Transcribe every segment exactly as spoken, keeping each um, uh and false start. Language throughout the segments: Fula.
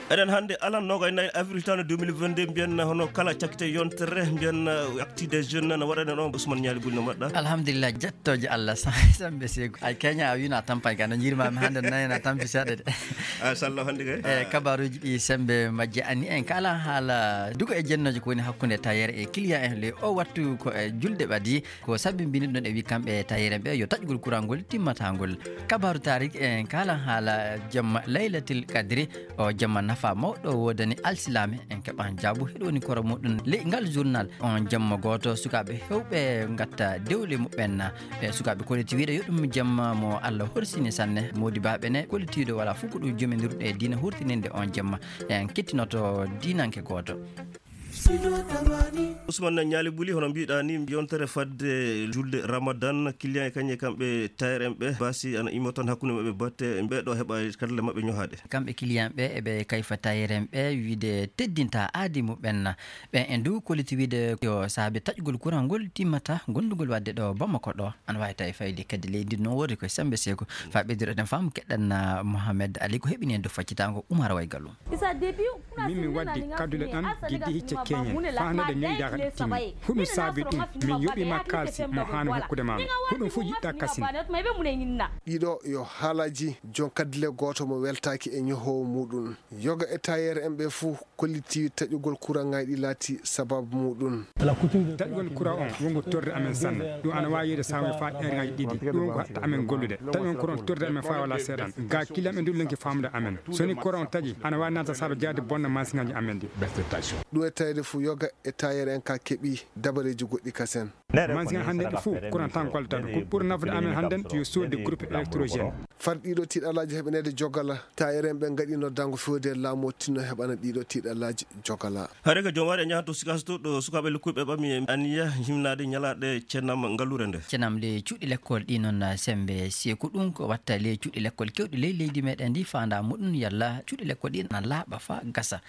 Eɗen hannde alan noogay nayi avril tan deux mille vingt-deux, mbiyen hono kala cakkite yontere, mbiyen acte des jeunes no waɗanen on, Ousmane Ñaali Buli no mbaɗɗa? Alhamdulillah, jettooje Allah, sa-, Sambe Seeku. Ay, keña a wiino a tampaani ka, no njiirmaami hannde, nani na tampi seeɗa de. Ah, sallo hannde kay. Eh, kabaruuji ɗi Sembe majje anni en kala haala duko e jennooje ko woni hakkunde tailleur e client en le o wattu ko e julde ɓadi. Ko sabi mbini ɗon e wi kamɓe tailleur en ɓe yo taƴgol courant ngol timmata ngol. Kabaru tarik en kala haala jamma Laylatil Kadri, o jamma nafa mawɗo wodani alsilaame en keɓan jaabu heɗo woni koro muɗum. Ley ngal journal on jamma gooto sukaaɓe hewɓe ngatta dewle muɓɓen. Ɓe sukaaɓe koliti wiide yo ɗum jamma mo Allah horsini sanne. Modibaɓe ne kolitiiɗo wala fof ko ɗum jominirɗo e diina hurtininde on jamma. En kettinoto diinanke gooto. Ousmane Ñaali Buli, hono mbiɗa ni, yontere fadde julde Ramadan, client e kañe kamɓe tailleur en ɓe, basi ana immo tan hakkunde maɓɓe batte, ɓe ɗo heɓa kadle maɓɓe ñohaɗe. Kamɓe client ɓe, eɓe kayfa tailleur en ɓe, wiide teddinta aadi muɓɓen. Ɓe en du koliti wiide yo saabe taƴgol courant ngol timmata gondugol wadde ɗo Bamako ɗo. Ana wawi tawi fayde kadi leydi no wori koye Sembe Seeku. Fa ɓeyduɗo ɗen fam keɗɗan, ah, Mohamed Ali ko heɓini en do faccitango Umar Waygalu. Min mi waddi kadule ɗan giddi hicce keñen. Fa hande ɗe ñoyɗa ka ɗe timmi. Huɗum saabi ɗum. Min yoɓima kalsi mo hano hokkude ma. Huɗum fu yiɗɗa kasin. Ɗiɗo yo haalaji jon kadile goto mo weltaki e ñohowo muɗum. Yoga e tailleur en ɓe fu kolliti taƴugol courant ngaji ɗi laati sababu muɗum. Taƴugol courant on wongo torre amen sanne. Ɗum ana wawi yeyde saamuji fa heure ngaji ɗiɗi. Ɗum ko hatta amen gollude. Taƴugol courant torre amen fa wala seeɗan. Ga kilam e ndullenki famude amen. Soni courant on taƴi, ana wawi nata saabe jaade bonna masiŋaji amen ɗi. Ɗum e tawde fu yoga e tailleur en ka keɓi dabareji goɗɗi kasen. Masiŋ hande ɗi fu courant tan gollata ɗum. Ko ɓuri nafude amen hannden yo soodde groupe électrogène. Far ɗiɗo tiɗalaji heɓanede jogala, tailleur en ɓe ngaɗi noddango fewde laamu o tinno heɓana ɗiɗo tiɗalaji jogala. Hare ka jom wari e ñahanto Sikaas to ɗo sukaaɓe lukkuɓe ɓami e aniya himnaade ñalaɗe cenam ngallure nde. Cenam le cuuɗi lekkol ɗi noon Sembe Seeku, ɗum ko watta le cuuɗi lekkol kewɗi ley leydi meɗen ndi faanda muɗum yalla cuuɗi lekkol ɗi na laaɓa fa gasa.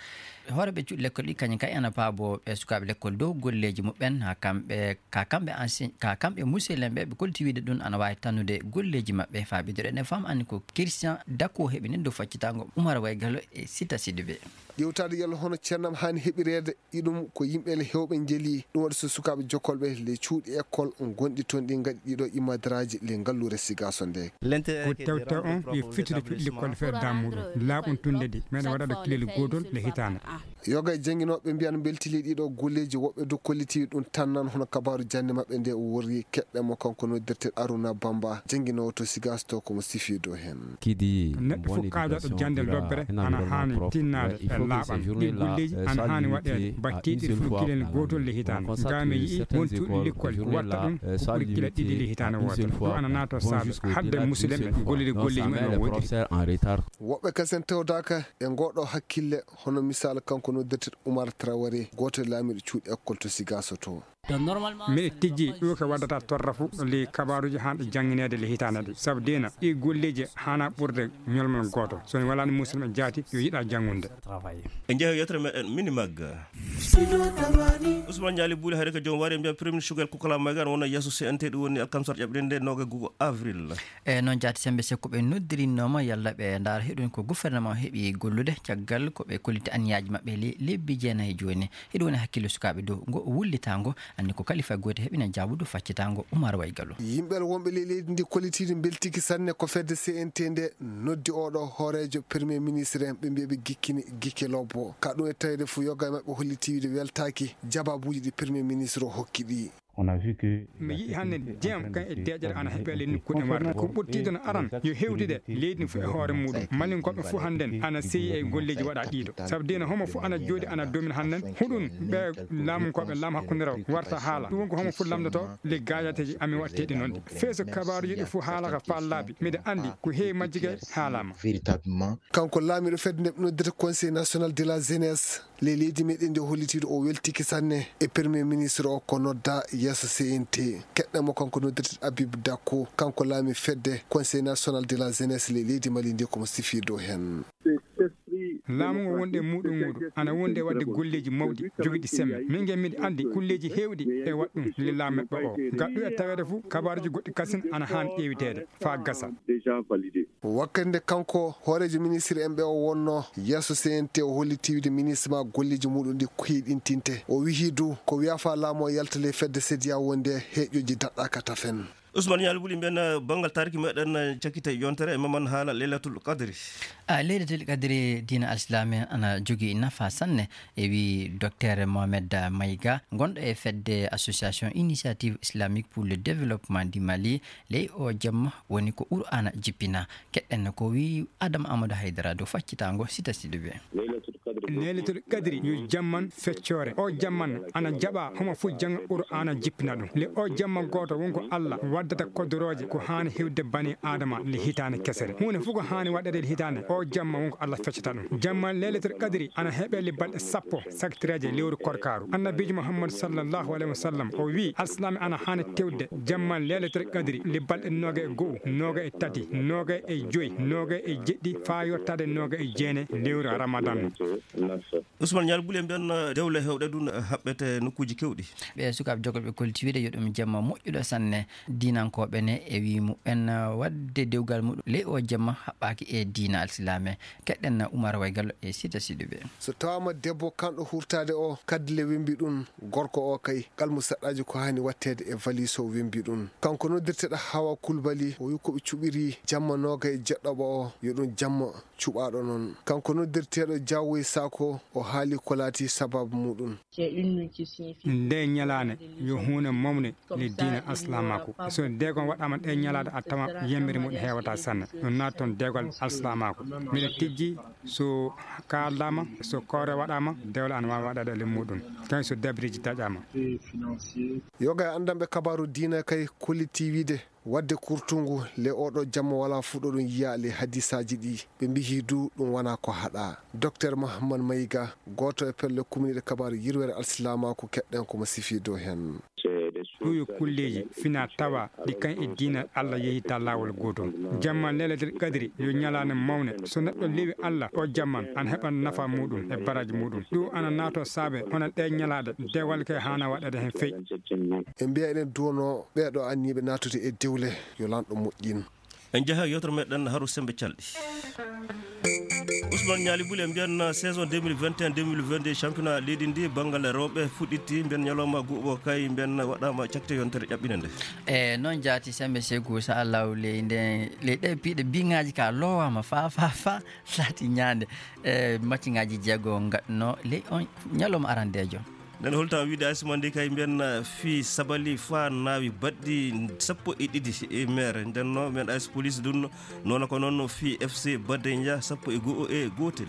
Hooreɓe cuuɗi lekkol ɗi kañum kay ana paabo ɓe sukaaɓe lekkol dow golleji muɓɓen ha kamɓe, ka kamɓe ansi-, ka kamɓe muselenɓe ɓe kolti wiide ɗum ana wawi tannude golleji maɓɓe. Faabiduɗo ene fam anni ko Christian Dako heɓini dow faccitango Umar Waygalo e Sita Sidibe. Ƴewtaade yalla hono cennam haani heɓireede iɗum ko yimɓe le heewɓe njeli. Ɗum waɗi so sukaaɓe jokkolɓe le cuuɗi école gonɗi toon ɗi ngaɗi ɗiɗo imadraaji le ngalluure Sigaaso nde. Ko tewte on yo fittude cuuɗi lekkol feere daamuɗum laaɓum tunde ɗi meɗa waɗa ɗo kilel gootol le hitaande. Yoga e jannginooɓe mbiyan mbeltili ɗiɗo golleeji woɓɓe dow kolliti ɗum tan nan hono kabaaru jannde maɓɓe nde o worri keɗɗe mo kanko noddirte Aruna Bamba jannginoowo to Sigaaso to komo sifi dow heen. Neɗɗo fof kaajaaɗo jannde lobbere ana haani tinnaade e laaɓal. Ɗi golleeji ana haani waɗeede battiiɗi fof kilel gootol le hitaande. Gaa mi yi'i won cuuɗi lekkol watta ɗum ko ɓuri kila ɗiɗi le hitaande wootere. Ɗum ana naatoo saabe hadde musidɓe gollude golleeji mumen no woɗɗi. Woɓɓe kasen tawdaaka e ngooɗo hakkille hono misaal kanko noddirte Umar Traoré gooto e laamiiɗo cuuɗi école to Sigaaso to. Miɗo tijji ɗo ko waddata torra fu le kabaaruji han ɗo janngineede le hitaande ɗi sabu dina ɗi golleeji hana ɓurde ñolmal gooto so mi walaani musidɗo jaati yo yiɗa janngunde. E jeehe yettere meɗen mini magga. Ousmane Ñaali Buuli hari ko joom wari mbiyan premier sugal kukala magan wona yeeso C N T ɗum woni alkamsar ƴaɓɓirinde noga gugo avril. E noon jaati sembe sekko ɓe noddirinnooma yalla ɓe ndaara heɗum ko gouvernement heɓi gollude caggal ko ɓe kolliti anniyaji maɓɓe le-, lebbi jeenayi jooni. Hiɗo woni hakkille sukaaɓe dow ngo wullitaango, anndi ko kalifa gooto heɓina jaabudu faccitaango Umar Waygalu. Yimɓe wonɓe ley leydi ndi kollitiiɗi mbeltiki sanne ko fedde C N T nde noddi oɗo hooreejo premier ministre en ɓe mbiya ɓe gikkini gikke lobbo. Ka ɗum e tawde fu yoga e maɓɓe holliti wiide weltaaki jababuuji ɗi premier ministre o hokki ɗi. Mi yi'i hannde ndiyam kan e deeƴere ana heɓe ley nokkuuɗe warde. Ko ɓurtiiɗo no aran yo hewtide leydi ndi fof e hoore muɗum. Malinkoɓe fof hannden ana seyi e golleeji waɗa ɗiɗo. Sabu dina homo fof ana jooɗi ana domina hannden. Huɗum ɓe laamunkooɓe laamu hakkunde raw warta haala. Ɗum woni ko homo fof lamndoto le gaajateeji amin waɗteeɗi noon ɗi. Feeso kabaaruji ɗi fof haalaka faa laabi. Miɗa anndi ko heewi majji kay haalama. Kanko laamiiɗo fedde nde ɓe noddirta Conseil national de la jeunesse. Ley leydi meɗen ndi o hollitiiɗo o weltiki sanne e premier ministre o ko nodda yeeso C N T. Keɗɗen mo kanko noddirte Habib Dakko, kanko laami fedde Conseil national de la jeunesse ley leydi Mali ndi komo sifi dow heen. Laamu ngu wonde muɗum muɗum ana wonde waɗde golleeji mawɗi jogiiɗi semme. Min nge miɗo anndi golleeji heewɗi e waɗ ɗum le laamu maɓɓe o. Gaɗɗu e taweede fof, kabaaruuji goɗɗi kasin ana haani ƴeewiteede faa gasa. Wakkati nde kanko hooreejo ministre en ɓe o wonnoo yeeso C N T, o holliti wiyde ministre ma golleeji muɗum ɗi koyɗintinte. O wiyi du ko wiya faa laamu o yalta ley fedde sediya wonde heeƴooji daɗɗaaka tafen. Usman Ñaali Buli, mbiyen banngal taariki meɗen cakkita yontere e maman haala Leylatul Qadri. A Leylatul Qadri diina alislaame ana jogii nafa sanne, e wi docteur Mohamed Maïga, gonɗo e fedde Association Initiative Islamique pour le Développement du Mali. Ley o jamma woni ko Qur'aana jippina. Keɗɗen ko wi Adam Amadou Haydara dow faccitaango sita siɗuɓe. Leylatul Qadri yo jamman feccoore. O jamman ana jaɓa homo fof janga Qur'aana jippina ɗum. Le o jamma gooto wonko Allah waddata kodorooje ko haani hewde bani Adama le hitaande kesere. Huunde fof ko haani waɗede le hitaande, o jamma wonko Allah feccata ɗum. Jamma Leylatul Qadri ana heɓe le balɗe sappo saktireeje lewru korkaaru. Annabiijo Muhammad sallallahu alaihi wasallam o wi, alsilaame ana haani tewde jamma Leylatul Qadri le balɗe nooga e go'o, nooga e tati, nooga e joyi, nooga e jeɗɗi, faa yottaade nooga e jeenayi lewru Ramadan. Usman Ñaali Buli, mbiyen dewle heewɗe ɗum haɓɓete nokkuuji kewɗi. Ɓe sukaaɓe jogoɓe koltiwiide yo ɗum jamma moƴƴuɗo sanne. Diinankooɓe ne e wii muɓɓen waɗde dewgal muɗum ley o jamma haɓɓaaki e diina alsilaame. Keɗɗen Umar Waygallo e sita siɗuɓe. So tawaama debbo kanɗo hurtaade o, kaddule wembi ɗum, gorko o kay, qalmu saɗɗaaji ko haani waɗteede e valiis o wembi ɗum. Kanko noddirteeɗo Hawa Kulbali, o wi ko ɓe cuɓiri jamma nooga e jeɗɗoɓo o, yo ɗum jamma cuɓaaɗo noon. Kanko noddirteeɗo Jaawoy Saako, o haali ko laati sabaabu muɗum. Nde ñalaande yo huunde mawne le diina alsilaamaaku. So deegon waɗaama ɗe ñalaade a tawa yembere muɗum heewata sanne. Ɗum naati toon deegal alsilaamaaku. Miɗa tijji so kaaldaama, so koore waɗaama, dewle ana waawi waɗeede le muɗum. Kañ so dabiriji taƴaama. Yoga e anndanɓe kabaaru diina kay kolliti wiide waɗde kurtungu le oɗo jamma wala fuɗo ɗum yiya le hadisaaji ɗi. Ɓe mbiyi du ɗum wona ko haɗa. Docteur Mohammad Mayiga, gooto e pelle kumniiɗe kabaaru yirwere alsilaamaaku, keɗɗen ko mo sifii dow heen. Ɗum yo kulleeji fina tawa ɗi kañ e diina Allah yehi ta laawol gootol. Jamma Leylatul Qadri yo ñalaande mawne. So neɗɗo lewi Allah o jamman ana heɓa nafa muɗum e baraji muɗum. Ɗum ana naato saabe hono ɗe ñalaaɗe dewal ke haana waɗeede heen fey. En mbiya eɗen duwono ɓeeɗo anniiɓe naatude e dewle yo lanɗo moƴƴin. En njaha yewtere meɗen Haru Sembe Calɗi. Ousmane Ñaali Buli, en mbiyan saison deux mille vingt et un deux mille vingt-deux championnat leydi ndi banngal rewɓe fuɗɗitti, mbiyan ñalawma guuɓo kay, mbiyan waɗaama cakte yontere ƴaɓɓinande. E noon jaati Sembe Segu, so Allah ley nde ley ɗe piiɗe biŋaaji ka loowaama fa fa fa laati ñaande. E matchŋaaji jeego ngaɗno ley on ñalawma arandeejo. Nden holta wiide A S Mandi kay mbiyan fii Sabali fa naawi baɗɗi sappo e ɗiɗi e mere. Nden no mbiyan A S Police dun noona ko noon fii F C Badenja sappo e go'o e gootel.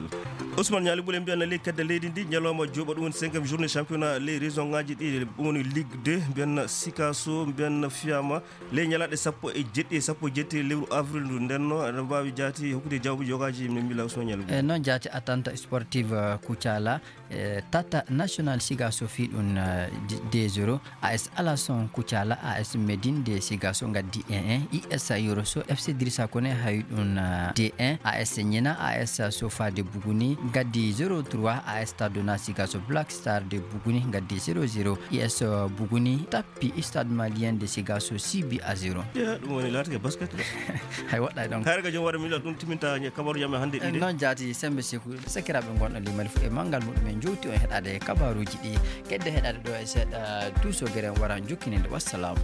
Ousmane Ñaali Bule mbiyan ley kedde leydi ndi ñalawma jooɓa ɗum woni cinquième journée championnat ley région ŋaaji ɗi, ɗum woni Ligue deux, mbiyan Sikaso, mbiyan fiyama ley ñalaaɗe sappo e jeɗɗi e sappo e jeɗɗi lewru avril ndu. Nden no aɗa mbaawi jaati hokkude jawaabu yogaaji min mbila Ousmane Ñaali Bule. E noon jaati attente sportive, eh, Kucala, eh, Tata National Sigaso fii ɗum, eh, d-, deux zéro. A S Alason Kucala, A S Médine de Sigaso ngaddi un un. I S Yoroso, F C Dirisa Kone hawi ɗum, eh, deux un. A S Ñina, A S Sofa de Buguni ngaddi zéro trois. A S Tadona Sigaso Black Star de Buguni ngaddi zéro zéro. I S Buguni tappi Stade Malien de Sigaso six buts à zéro. Ɗum woni laatake basket de. Hay woɗɗay ɗon. Kayre ka jom waɗa mi ɗum timinta kabaru jam e hannde ɗiɗi. Noon jaati Sembe Seku, sakiraaɓe ngonɗo limani fof e manngal muɗum en jowti on heɗaade e kabaruuji ɗi. Kedde heɗaade ɗo e seeɗa duusogere en wara jokkininde. Wassalaamu.